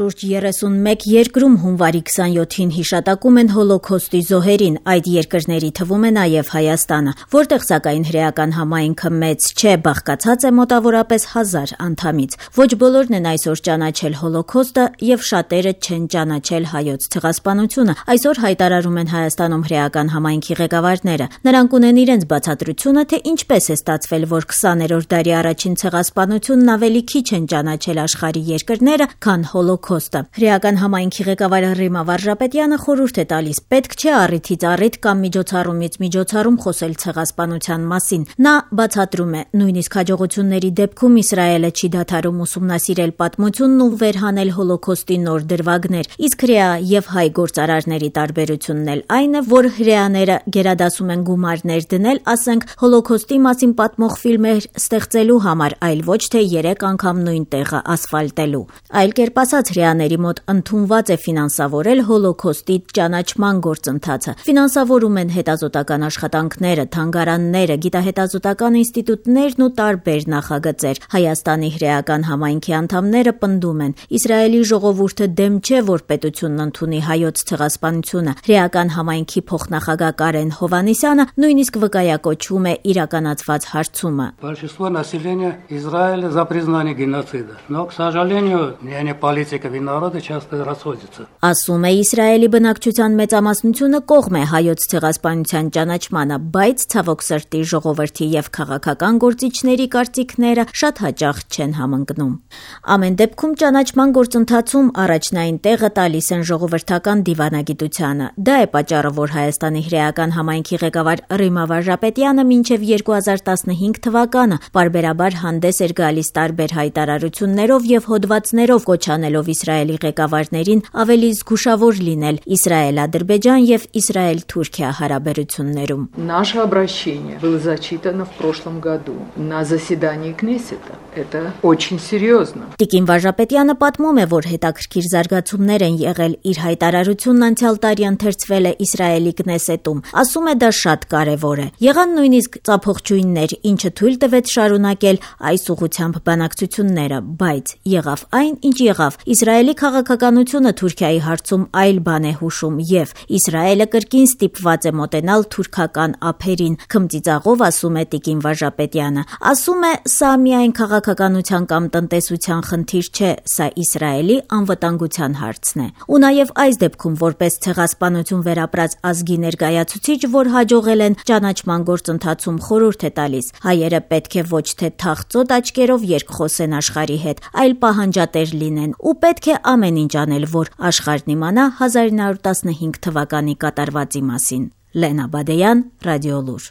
Շուրջ 31 երկրում հունվարի 27-ին հիշատակում են հոլոքոստի զոհերին, այդ երկրների թվում է նաև Հայաստանը, որտեղ սակայն հրեական համայնքը մեծ չէ, բաղկացած է մոտավորապես 1000 անդամից։ Ոչ բոլորն են այսօր ճանաչել հոլոքոստը եւ շատերը չեն ճանաչել հայոց ցեղասպանությունը։ Այսօր հայտարարում են Հայաստանում հրեական համայնքի ղեկավարները։ Նրանք ունեն իրենց բացատրությունը, թե ինչպես է ստացվել, որ 20-րդ դարի առաջին ցեղասպանությունն ավելի քիչ են ճանաչել աշխարհի երկրները, քան հոլոքոստը։ Հրեական համայնքի ղեկավար Ռիմա Վարժապետյանը խորհուրդ է տալիս, պետք չէ առիթից առիթ կամ միջոցառումից միջոցառում խոսել ցեղասպանության մասին։ Նա բացատրում է, նույնիսկ հաջողությունների դեպքում Իսրայելը չի դադարում ուսումնասիրել պատմությունն ու վերհանել հոլոքոստի նոր դրվագներ, իսկ հրեա եւ հայ գործարարների տարբերությունն էլ այն է, որ հրեաները գերադասում են գումարներ դնել, ասենք, հոլոքոստի մասին պատմող ֆիլմեր ստեղծելու համար, այլ ոչ թե 3 անգամ նույն տեղը ասֆալտելու։ Այլ կերպ ասած, հրեաների մոտ ընդունված է ֆինանսավորել հոլոքոստի ճանաչման գործընթացը։ Ֆինանսավորում են հետազոտական աշխատանքները, թանգարանները, գիտահետազոտական ինստիտուտներն ու տարբեր նախագծեր։ Հայաստանի հրեական համայնքի անդամները պնդում են, Իսրայելի ժողովուրդը դեմ չէ, որ պետությունն ընդունի հայոց ցեղասպանությունը։ Հրեական համայնքի փոխնախագահ Կարեն Հովհաննիսյանը նույնիսկ վկայակոչվում է իրականացված հարցումը։ Большинство населения Израиля за признание геноцида, но, к сожалению, мнение политиков и народа часто расходятся. Ասում է Իսրայելի բնակչության մեծամասնությունը կողմ է հայոց ցեղասպանության ճանաչմանը, բայց ցավոք սրտի ժողովրդի եւ քաղաքական գործիչների կարծիքները շատ հաճախ չեն համընկնում։ Ամեն դեպքում ճանաչման գործընթացում առաջնային տեղը տալիս են ժողովրդական դիվանագիտությանը։ Դա է պատճառը, որ Հայաստանի հրեական համայնքի ղեկավար Ռիմա Վարժապետյանը մինչև 2015 թվականը պարբերաբար հանդես էր գալիս տարբեր հայտարարություններով եւ հոդվածներով, կոչանելով Իսրայելի ղեկավարներին ավելի զգուշավոր լինել Իսրայել-Ադրբեջան եւ Իսրայել-Թուրքիա հարաբերություններում։ Наше обращение было зачитано в прошлом году на заседании Кнессета. Это очень серьезно. Տիկին Վարժապետյանը պատմում է, որ հետաքրքիր զարգացումներ են եղել, իր հայտարարությունն անցյալ տարի ընթերցվել է Իսրայելի Կնեսետում։ Ասում է, դա շատ կարևոր է։ Եղան նույնիսկ ծափողջույններ, ինչը թույլ տվեց շարունակել այս ուղղությամբ բանակցությունները, բայց եղավ այն, ինչ եղավ։ Իսրայելի քաղաքականությունը Թուրքիայի հարցում այլ բան է հուշում եւ Իսրայելը կրկին ստիպված է մոտենալ թուրքական ափերին, քմծիծաղով ասում է տիկին Վարժապետյանը։ Ասում է, սա միայն քաղաքականության կամ տնտեսության խնդիր չէ, սա Իսրայելի անվտանգության հարցն է։ Ու նաեւ այս դեպքում որպես ցեղասպանություն վերապրած ազգի ներկայացուցիչ, որ հաջողել են ճանաչման գործընթացում խորհուրդ է տալիս, հայերը պետք է ոչ թե թախծոտ աչքերով երկխոսեն աշխարհի հետ, այլ պահանջատեր լինեն ու պետք է ամեն ինչ անել, որ աշխարհն իմանա 1915 թվականի կատարվածի մասին։ Լենա Բադեյան, Ռադիոլուր։